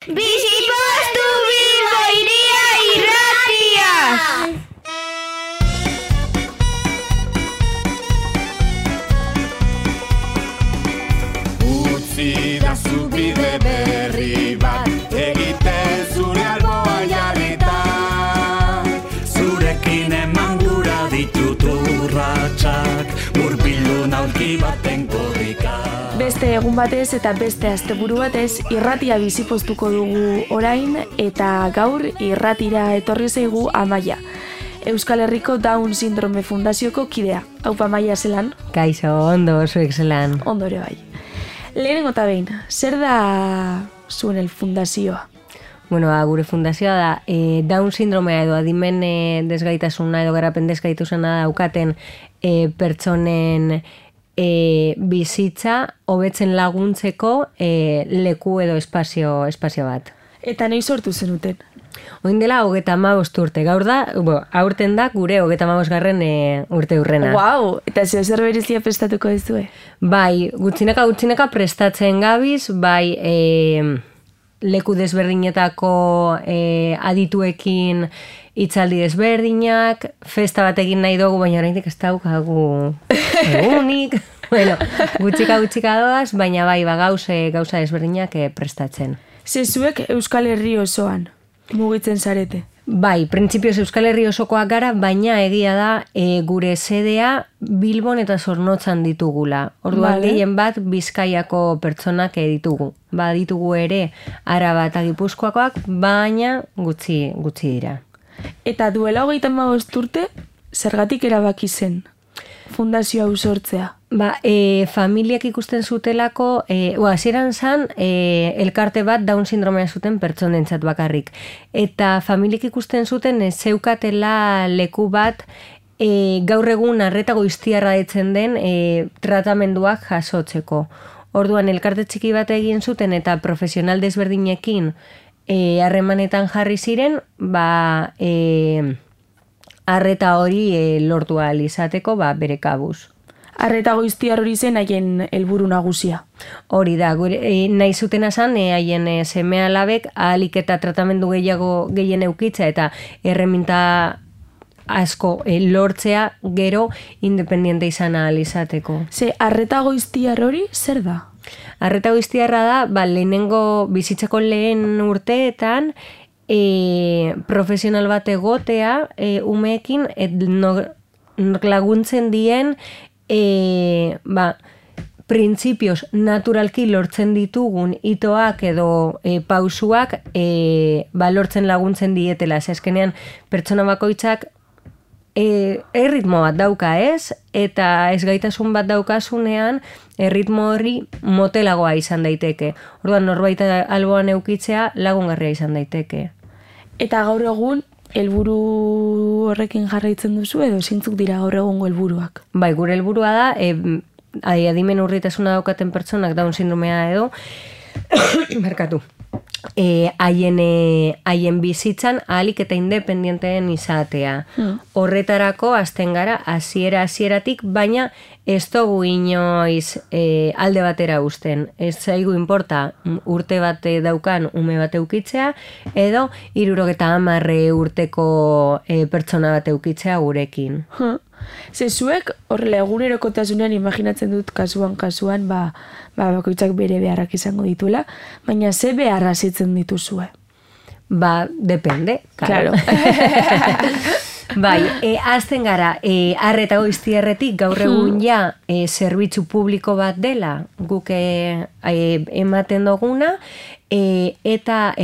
Bizipostu Bilbo Hiria Irratia! Utzi da zubide berri bat, egiten zure alboan jarrita. Zurekin eman gura ditut urratsak, murbildu naulki baten korrika. Beste egun batez eta beste asteburu batez irratia bizipostuko dugu orain eta gaur irratira etorri zaigu Amaia. Euskal Herriko Down Sindrome Fundazioko kidea. Haupa Amaia zelan? Kaixo, ondo, zuek zelan. Ondo ere bai. Lehenengo eta behin, zer da zuen fundazioa? Bueno, gure fundazioa da Down sindromea edo adimen desgaitasuna edo garapen desgaitasuna daukaten pertsonen bizitza hobetzen laguntzeko leku edo espazio bat. Eta nahi sortu zenuten? Oin dela 35 urte, gaur da, aurten da gure 35. Urte urrena. Wow, eta zer berezia prestatuko duzue? Bai, gutxinaka prestatzen gabiz, bai leku desberdinetako adituekin hitzaldi desberdinak, festa bat egin nahi dugu, baina oraindik ez daukagu egunik. Bueno, gutxika doaz, baina bai, gauza desberdinak prestatzen. Zuek Euskal Herri osoan mugitzen zarete? Bai, printzipioz Euskal Herri osokoak gara, baina egia da gure sedea Bilbon eta Zornotzan ditugula. Orduan gehien bat Bizkaiako pertsonak ditugu. Ba, ditugu ere Araba eta Gipuzkoakoak, baina gutxi dira. Eta duela 35 urte, zergatik erabaki zen fundazio hau sortzea? Ba, familiak ikusten zutelako, hasieran zan, elkarte bat Down sindromea zuten pertsonentzat bakarrik. Eta familiak ikusten zuten zeukatela leku bat gaur egun arreta goiztiarra ditzen den tratamenduak jasotzeko. Orduan elkarte txiki bat egin zuten eta profesional desberdinekin harremanetan jarri ziren, ba, arreta hori lortu ahal izateko bere kabuz. Arreta goiztiar hori zen haien helburu nagusia. Hori da, nahi zutena zan, haien seme alabek ahalik eta tratamendu gehien eukitza eta erreminta asko lortzea gero independiente izan ahal izateko. Arreta goiztiar hori zer da? Arreta goiztiarra da, lehenengo bizitzako lehen urteetan profesional bat egotea umeekin laguntzen dien printzipioz naturalki lortzen ditugun itoak edo pausuak lortzen laguntzen dietela. Azkenean pertsona bakoitzak erritmo bat dauka ez, eta ez gaitasun bat daukasunean erritmo hori motelagoa izan daiteke. Orduan norbait alboan eukitzea lagungarria izan daiteke. Eta gaur egun helburu horrekin jarraitzen duzu edo zeintzuk dira gaur egungo helburuak? Bai, gure helburua da adimen urritasuna daukaten pertsonak Down sindromea edo haien bizitzan ahalik eta independienteen izatea. Horretarako hasten gara hasieratik, baina ez dugu inoiz alde batera uzten. Ez zaigu inporta urte bat daukan ume bat eukitzea edo 70 urteko pertsona bat eukitzea gurekin. Zuek horrela egunerokotasunean imaginatzen dut kasuan, bakoitzak bere beharrak izango dituela, baina ze beharra zitzen dituzue? Depende, claro. Bai, azten gara, arreta goiztiarretik gaur egun ja zerbitzu publiko bat dela guk ematen duguna, eta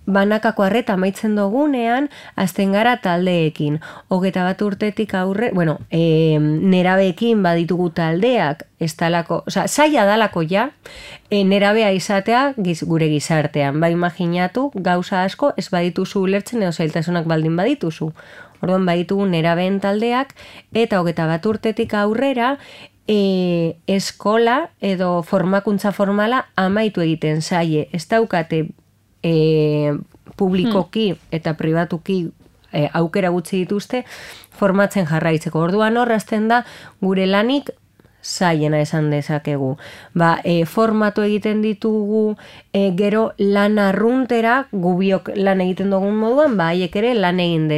banakako arreta amaitzen dugunean, azten gara taldeekin. 21 urtetik aurre, nerabeekin baditugu taldeak, zaila dalako ja, nerabea izatea gure gizartean. Imaginatu, gauza asko ez badituzu ulertzen edo zailtasunak baldin badituzu. Orduan baditugu nerabeen taldeak, eta 21 urtetik aurrera, eskola edo formakuntza formala amaitu egiten zaie. Ez daukate publikoki eta pribatuki aukera gutxi dituzte formatzen jarraitzeko. Orduan horrazten da gure lanik zaiena esan dezakegu. Formatu egiten ditugu gero lan arruntera, gubiok lan egiten dugun moduan, haiek ere lan egin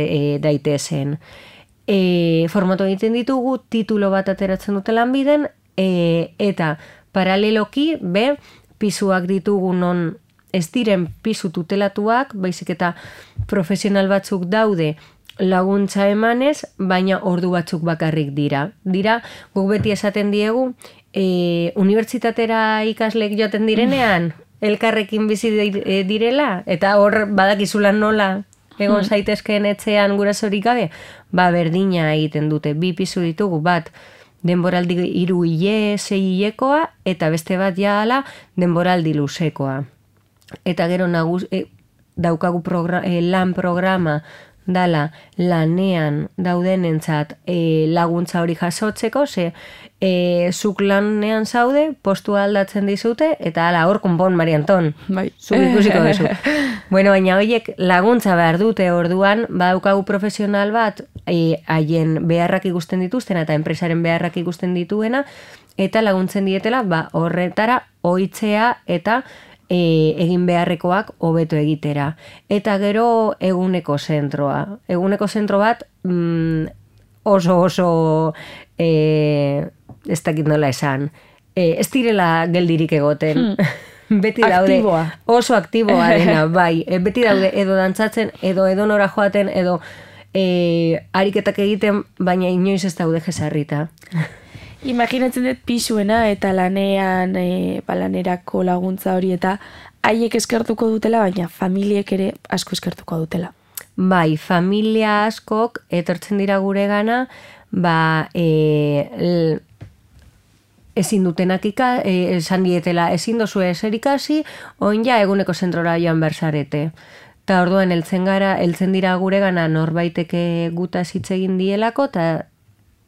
daitezen. Formatu egiten ditugu, titulo bat ateratzen dute lanbiden, eta paraleloki, pisuak ditugu non ez diren pisu tutelatuak, baizik eta profesional batzuk daude laguntza emanez, baina ordu batzuk bakarrik dira. Guk beti esaten diegu, unibertsitatera ikasleek joaten direnean, elkarrekin bizi direla, eta hor badakizulan nola egon zaitezkeen etxean gurasorik gabe, berdina egiten dute, 2 pisu ditugu, bat denboraldi 3 hile, 6 hilekoa, eta beste bat jaala denboraldi luzekoa. Eta gero daukagu lan programa dala lanean daudenentzat laguntza hori jasotzeko, zuk lanean zaude, postua aldatzen dizute, eta hala hor konpon, Mari Anton, zuk ikusiko duzu. Baina horiek laguntza behar dute orduan, daukagu profesional bat, haien beharrak ikusten dituztena eta enpresaren beharrak ikusten dituena, eta laguntzen dietela horretara ohitzea eta egin beharrekoak hobeto egitera. Eta gero eguneko zentroa. Eguneko zentro bat oso ez dakit nola esan. Ez direla geldirik egoten. Beti daude oso aktiboa dena, beti daude edo dantzatzen, edo nora joaten, edo ariketak egiten, baina inoiz ez daude jesarrita. Imaginatzen dut pisuena eta lanean, lanerako laguntza hori eta haiek eskertuko dutela, baina familiek ere asko eskertuko dutela. Familia askok etortzen dira gure gana, ezin dutenak esan dietela, ezin dozu ezer ikasi, oin ja eguneko zentrora joan berzarete. Eta orduan heltzen dira gure gana norbaiteke gutaz hitz egin dielako, eta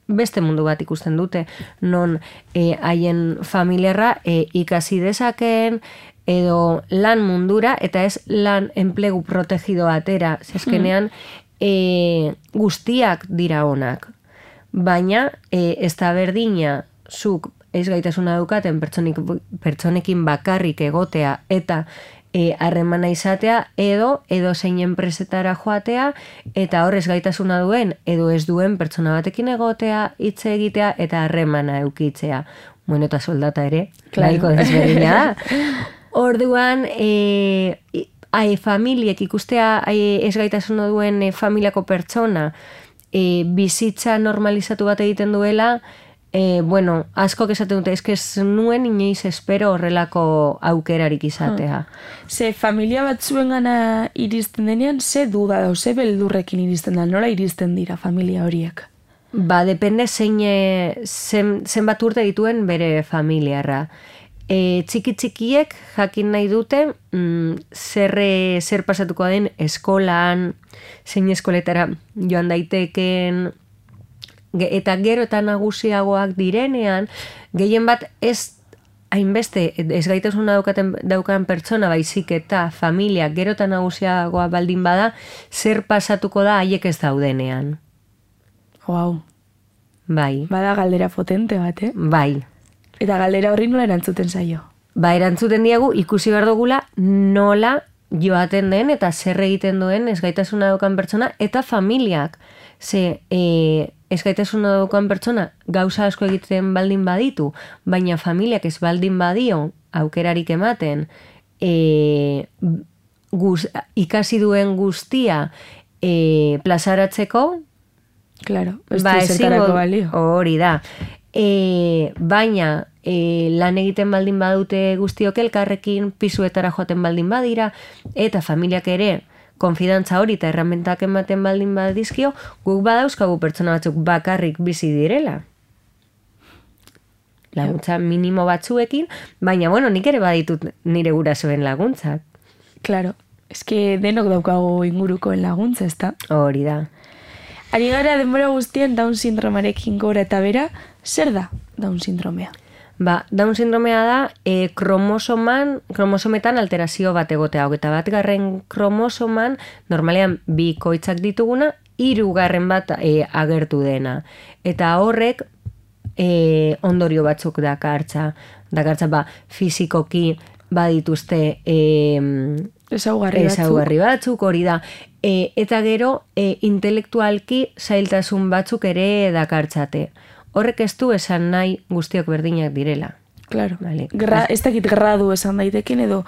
beste mundu bat ikusten dute, non haien familiarra ikasi dezakeen, edo lan mundura, eta ez lan enplegu protegido atera, zezkenean guztiak dira onak. Baina ez da berdina zuk ez gaitasuna daukaten pertsonekin bakarrik egotea eta harremana izatea edo zein enpresetara joatea eta horrez gaitasuna duen edo ez duen pertsona batekin egotea, hitz egitea eta harremana eukitzea. Bueno, eta soldata ere, nahiko desberdina da. Orduan, familiek ikustea ez gaitasuna duen familiako pertsona bizitza normalizatu bat egiten duela, askok esaten dute, ez nuen inoiz espero horrelako aukerarik izatea. Ze familia bat zuen gana iristen denean, ze duda da, ze beldurrekin iristen da, nola iristen dira familia horiek? Depende zenbat urte dituen bere familiarra. Txiki-txikiek jakin nahi dute zer pasatuko den eskolan, zein eskoletara joan daiteken, eta gero eta nagusiagoak direnean, gehien bat ez hainbeste ez gaitasuna daukan pertsona baizik eta familia gero eta nagusiagoa baldin bada, zer pasatuko da haiek ez daudenean. Wow. Bai. Bada galdera potente bat, Bai. Eta galdera horri nola erantzuten zaio? Erantzuten diegu ikusi behar dugula nola joaten den eta zer egiten duen ez gaitasuna daukan pertsona eta familiak. Ze ez gaitasuna daukan pertsona gauza asko egiten baldin baditu, baina familiak ez baldin badio aukerarik ematen ikasi duen guztia plazaratzeko, claro, ez du zertarako balio. Hori da. Baina lan egiten baldin badute guztiok elkarrekin, pisuetara joaten baldin badira, eta familiak ere konfidantza hori eta erramentak ematen baldin badizkio, guk badauzkagu pertsona batzuk bakarrik bizi direla. Laguntza minimo batzuekin, baina nik ere baditut nire gurasoen laguntzak. Claro, eske denok daukagu ingurukoen laguntza, ezta? Hori da. Ari gara denbora guztien Down sindromarekin gora eta bera, zer da Down sindromea? Down sindromea da kromosometan alterazio bat egotea. 21. kromosoman normalean 2 koitzak dituguna, 3. bat agertu dena. Eta horrek ondorio batzuk dakartza ba, fizikoki badituzte ezaugarri batzuk, hori da. Eta gero, intelektualki zailtasun batzuk ere dakartzate. Horrek ez du esan nahi guztiok berdinak direla. Claro. Vale. Ez dakit gradu esan daitekin edo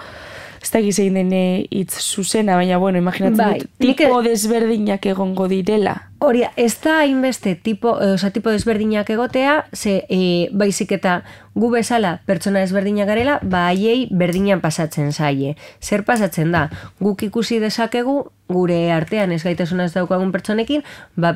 ez dakit zein den hitz zuzena, baina bueno, imaginatzen dut, tipo desberdinak egongo direla. Hori, ez da hainbeste tipo desberdinak egotea, ze baizik eta gu bezala pertsona desberdinak garela, haiei berdinan pasatzen zaie. Zer pasatzen da? Guk ikusi dezakegu, gure artean ez gaitasuna ez daukagun pertsonekin,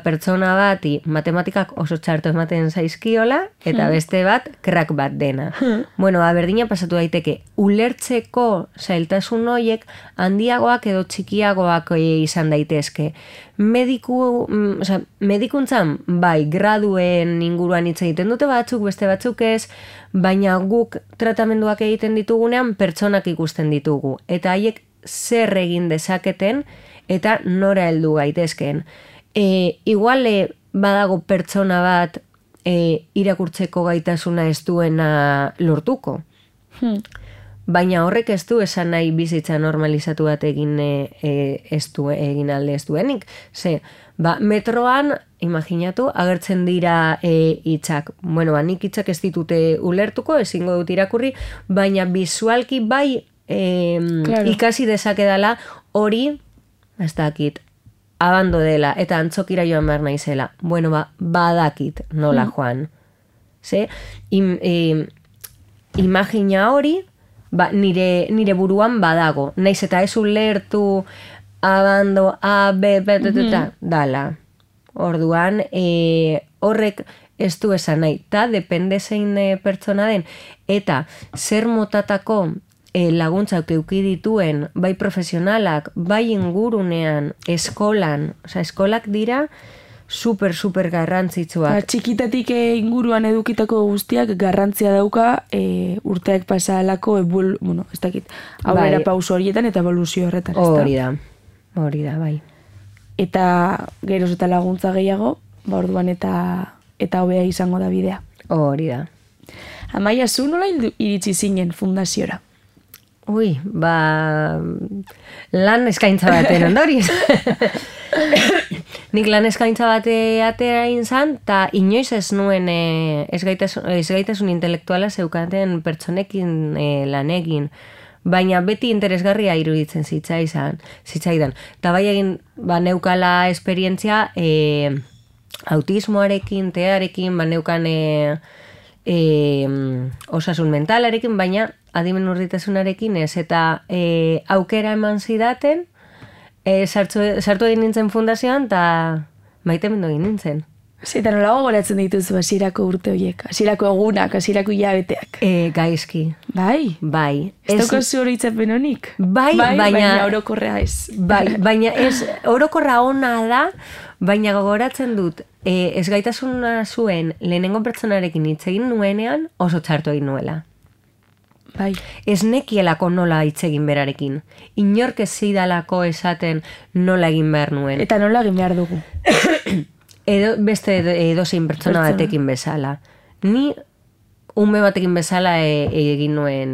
pertsona bati matematikak oso txarto ematen zaizkiola, eta beste bat, crack bat dena. Bueno, berdinan pasatu daiteke, ulertzeko zailtasun horiek handiagoak edo txikiagoak izan daitezke. Medikuntzan, bai, graduen inguruan hitz egiten dute batzuk, beste batzuk ez, baina guk tratamenduak egiten ditugunean pertsonak ikusten ditugu. Eta haiek zer egin dezaketen eta nora heldu gaitezken. Igual badago pertsona bat irakurtzeko gaitasuna ez duena lortuko. Baina horrek ez du esan nahi bizitza normalizatu bat egin alde ez duenik. Ze, metroan, imaginatu, agertzen dira hitzak. Bueno, nik hitzak ez ditute ulertuko, ezingo dut irakurri, baina bisualki bai ikasi dezakedala hori, ez dakit, abando dela, eta antzokira joan behar naizela. Bueno, badakit nola joan. Ze, imagina hori, nire buruan badago. Naiz eta ez ulertu abando, dala. Orduan, horrek ez du esan nahi. Ta, depende zein pertsona den. Eta, zer motatako laguntzak euki dituen, bai profesionalak, bai ingurunean, eskolan, eskolak dira, super garrantzitsuak. Txikitatik inguruan edukitako guztiak garrantzia dauka urteak pasalako ez dakit, aurrera pauso horietan eta evoluzio horretan. Hori da, bai. Eta geroz eta laguntza gehiago, orduan eta hobea izango da bidea. Hori da. Amaia, zu nola iritsi zinen fundaziora? Lan eskaintza baten ondoriz. Nik lan eskaintza bate atera inzan, eta inoiz ez nuen ezgaitasun intelektuala zeukaten pertsonekin lan egin. Baina beti interesgarria iruditzen zitzaidan. Eta bai egin neukala esperientzia autismoarekin, tearekin, neukan osasun mentalarekin, baina adimen urditasunarekin ez, eta aukera eman zidaten, sartu egin nintzen fundazioan, eta maite mendo egin nintzen. Eta nolago goratzen dituzu hasierako urte horiek, hasierako egunak, hasierako hilabeteak? Gaizki. Bai? Bai. Ez daukazu horitzapen honik? Bai, baina orokorra ez. Bai, baina ez, orokorra ona da, baina gogoratzen dut, ez gaitasuna zuen lehenengo pertsonarekin hitz egin nuenean oso txartu egin nuela. Bai. Ez nekielako nola hitz egin berarekin. Inork ez zidalako esaten nola egin behar nuen. Eta nola egin behar dugu? Beste edozein pertsona batekin bezala. Ni ume batekin bezala egin nuen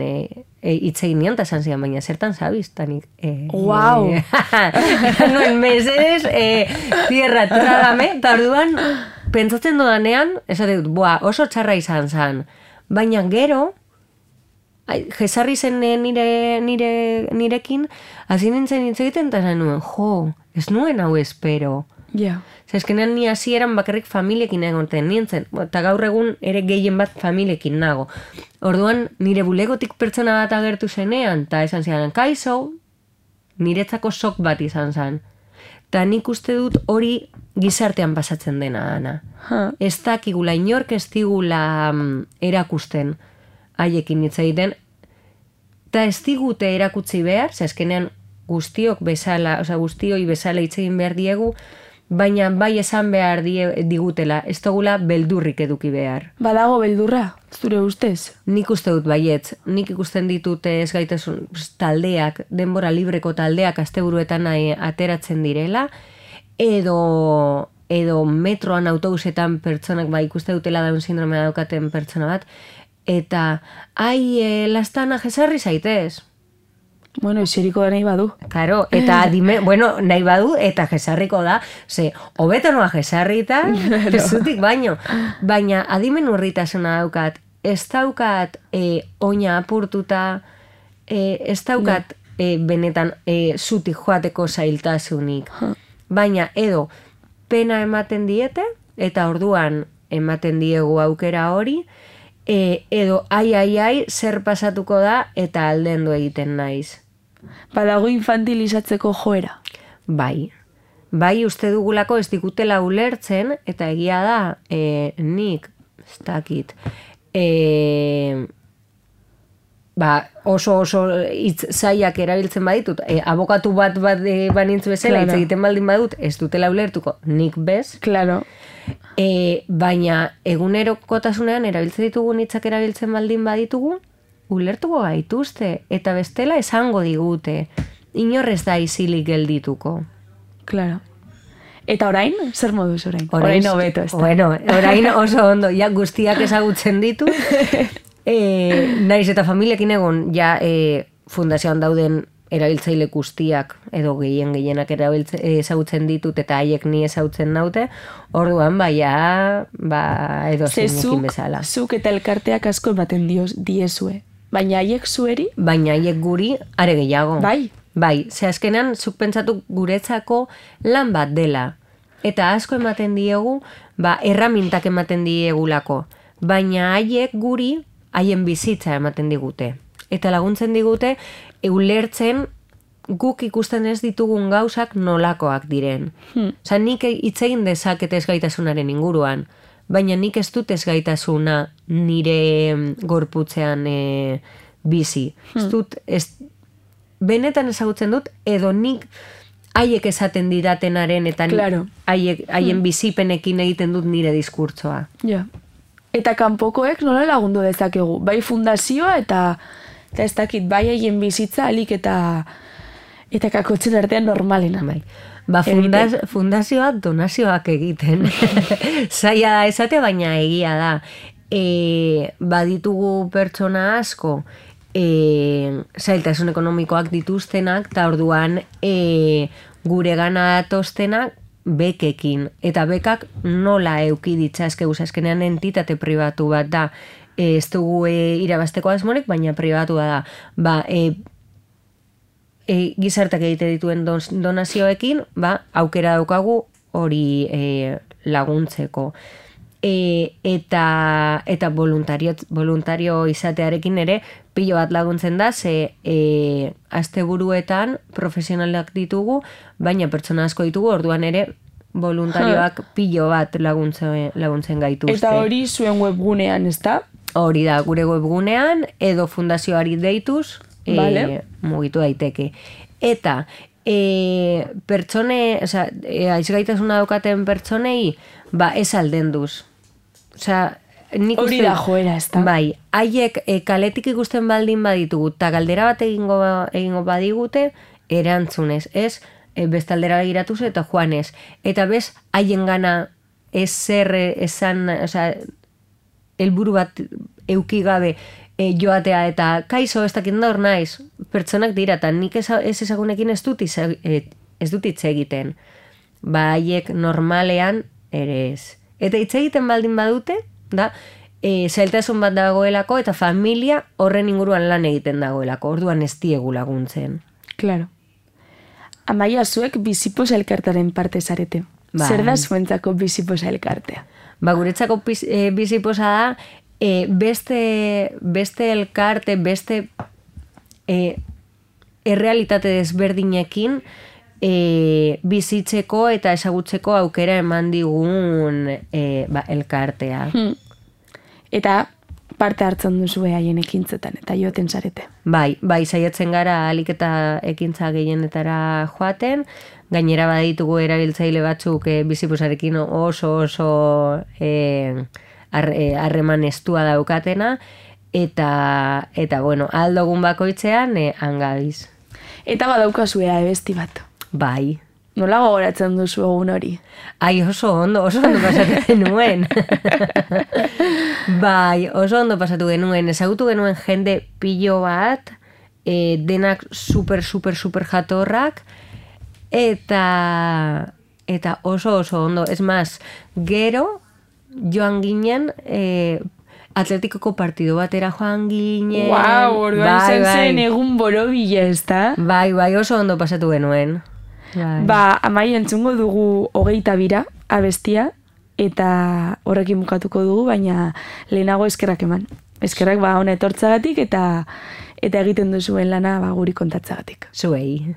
hitz egin nian, eta esan zidan, baina zertan zabiz, tanik. Wow! Nuen mesedez, tierra, trágame, eta orduan, pentsatzen dudanean, esate dut, oso txarra izan zan. Baina gero, jesarri zen nirekin, hasi nintzen hitz egiten, eta esan nuen, ez nuen hau espero. Ja. Zeskenean ni hasieran bakarrik familiekin egoten nintzen, eta gaur egun ere gehien bat familiekin nago. Orduan, nire bulegotik pertsona bat agertu zenean, eta esan zidan, kaixo, niretzako sok bat izan zen. Eta nik uste dut hori gizartean pasatzen dena, Ana. Ez dakigula, inork ez digula erakusten haiekin hitz egiten, eta ez digute erakutsi behar, zeskenean guztioi bezala hitz egin behar diegu, baina bai esan behar digutela, ez dugula beldurrik eduki behar. Badago beldurra, zure ustez? Nik uste dut baietz, nik ikusten ditute ez gaitasun taldeak, denbora libreko taldeak asteburuetan ateratzen direla, edo edo metroan autobusetan pertsonak ikuste dutela Down sindromea daukaten pertsona bat, eta lastana jesarri zaitez. Bueno, eseriko da nahi badu. Claro, eta nahi badu, eta jesarriko da, hobeto noa jesarrita, zutik baino. Baina adimen urritasuna daukat, ez daukat oina apurtuta, ez daukat benetan zutik joateko zailtasunik. Baina edo pena ematen diete, eta orduan ematen diegu aukera hori, edo ai, zer pasatuko da, eta aldendu egiten naiz. Badago infantilizatzeko joera. Bai, uste dugulako ez dikutela ulertzen, eta egia da, nik, ez dakit, oso hitz zaiak erabiltzen baditut, abokatu bat banintz bezala, hitz egiten baldin badut, ez dutela ulertuko, nik bez. Claro. Baina egunerokotasunean erabiltzen ditugu hitzak erabiltzen baldin baditugu, ulertuko gaituzte, eta bestela esango digute, inorrez da isilik geldituko. Claro. Eta orain, zer moduz orain? Orain hobeto, ez da. Bueno, orain oso ondo, ja guztiak ezagutzen ditu, naiz eta familiekin egon, ja fundazioan dauden erabiltzaile guztiak, edo gehienak ezagutzen ditut, eta haiek ni ezagutzen naute, orduan edo zeinekin bezala. Zuk eta elkarteak asko ematen diezue. Baina haiek zueri? Baina haiek guri are gehiago. Bai, ze azkenan zuk pentsatu guretzako lan bat dela. Eta asko ematen diegu, erramintak ematen diegulako. Baina haiek guri, haien bizitza ematen digute. Eta laguntzen digute, ulertzen guk ikusten ez ditugun gauzak nolakoak diren. Osa, nik hitz egin dezaket ez gaitasunaren inguruan, baina nik ez dut ez gaitasuna nire gorputzean bizi. Ez dut, benetan ezagutzen dut, edo nik haiek esaten didatenaren eta haien bizipenekin egiten dut nire diskurtsoa. Ja. Eta kanpokoek nola lagundu dezakegu? Bai fundazioa eta ez dakit, bai haien bizitza alik eta kakotzen artean normalena. Bai. Fundazioa donazioak egiten. Zaila da esatea, baina egia da. Baditugu pertsona asko zailtasun ekonomikoak dituztenak, eta orduan gure gana datostenak bekekin. Eta bekak nola euki ditzazkegu, azkenean entitate pribatu bat da. Ez dugu irabazteko asmorik, baina pribatua da. Gizartak egite dituen donazioekin, aukera daukagu hori laguntzeko. Eta voluntario izatearekin ere, pilo bat laguntzen da, ze asteburuetan profesionalak ditugu, baina pertsona asko ditugu, orduan ere voluntarioak pilo bat laguntzen gaituzte. Eta hori zuen webgunean, ez da? Hori da, gure webgunean, edo fundazioari deituz, mugitu daiteke. Eta aizgaitasuna daukaten pertsonei, ez aldenduz. Hori da joera, ez da? Bai, haiek kaletik ikusten baldin baditugu, eta galdera bat egingo badigute, erantzunez, ez? Bestaldera begiratuz eta joanez. Eta bez, haien gana ezer esan, helburu bat eukigabe joatea eta kaizo ez dakit hor naiz, pertsonak dira, eta nik ez ezagunekin ez dut hitz egiten. Haiek normalean ere ez. Eta hitz egiten baldin badute, da, zailtasun bat dagoelako eta familia horren inguruan lan egiten dagoelako, orduan ez diegu laguntzen. Claro. Amaia, zuek biziposa elkartaren parte zarete. Zer da zuentzako biziposa elkartea? Guretzako biziposa da, beste elkarte, beste errealitate desberdinekin bizitzeko eta ezagutzeko aukera eman digun elkartea. Eta parte hartzen duzue haien ekintzetan eta joaten zarete. Bai, saiatzen gara ahalik eta ekintza gehienetara joaten, gainera baditugu erabiltzaile batzuk biziposarekin oso harreman estua daukatena, eta bueno, aldogun bakoitzean hangabiz. Eta badaukazue abesti bat. Bai, Nola gogoratzen duzu egun hori? Ai, oso ondo pasatu genuen. Bai, oso ondo pasatu genuen. Ezagutu genuen jende pilo bat, denak super jatorrak, eta oso ondo. Ez maz, gero joan ginen, Atletikoko partido batera joan ginen. Wow, orduan izan zen egun borobila, ez da? Bai, oso ondo pasatu genuen. Ba, Amai, entzungo dugu 22 abestia, eta horrekin bukatuko dugu, baina lehenago eskerrak eman. Eskerrak hona etortzagatik eta egiten duzuen lana guri kontatzagatik. Zuei.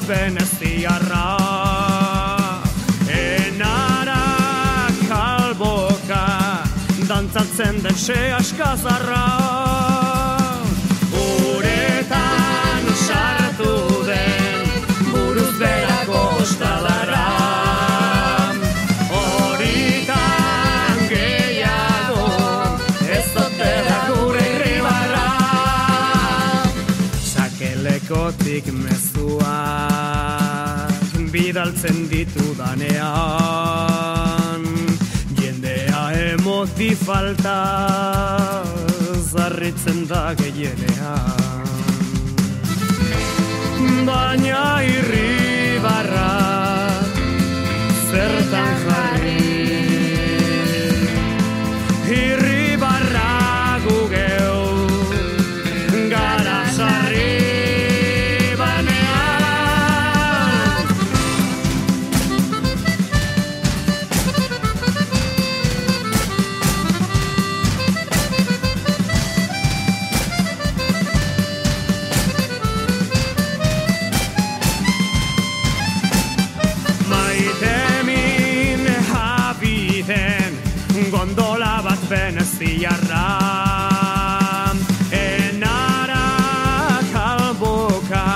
Veneziarra enara kalboka dantzatzen den se askazarra uretan sartu den buruz berako ostalarra horitan gehiago ez dotera gure irribarra sakelekotik mezua bidaltzen ditudanean jendea emoti falta zarritzen da gehienean baina irribarra zertan jarri irribarra gugeu gara sarri gondola bat veneziarra enara kalboka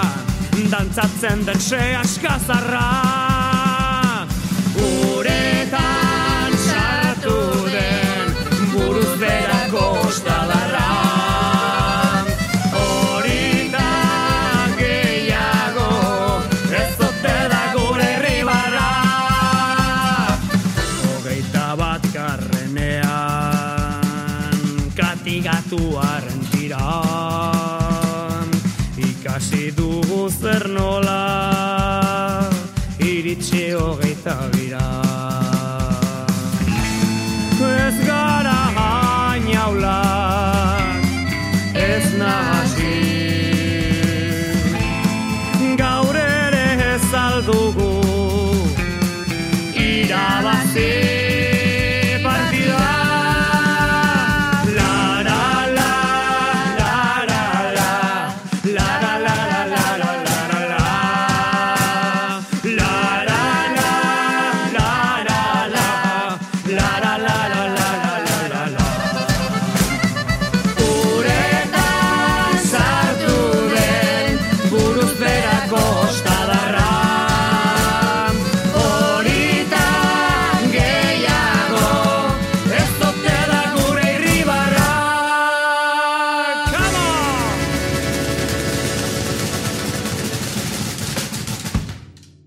dantzatzen den se askazarra uretan sartu den buruz berako ostalarra horitan gehiago ez ote da gure irribarra 21 Katigatuaren tiran ikasi dugu zer nola iritsi 22 ez gara hainaulak ez nahasi gaur ere ez aldugu irabaz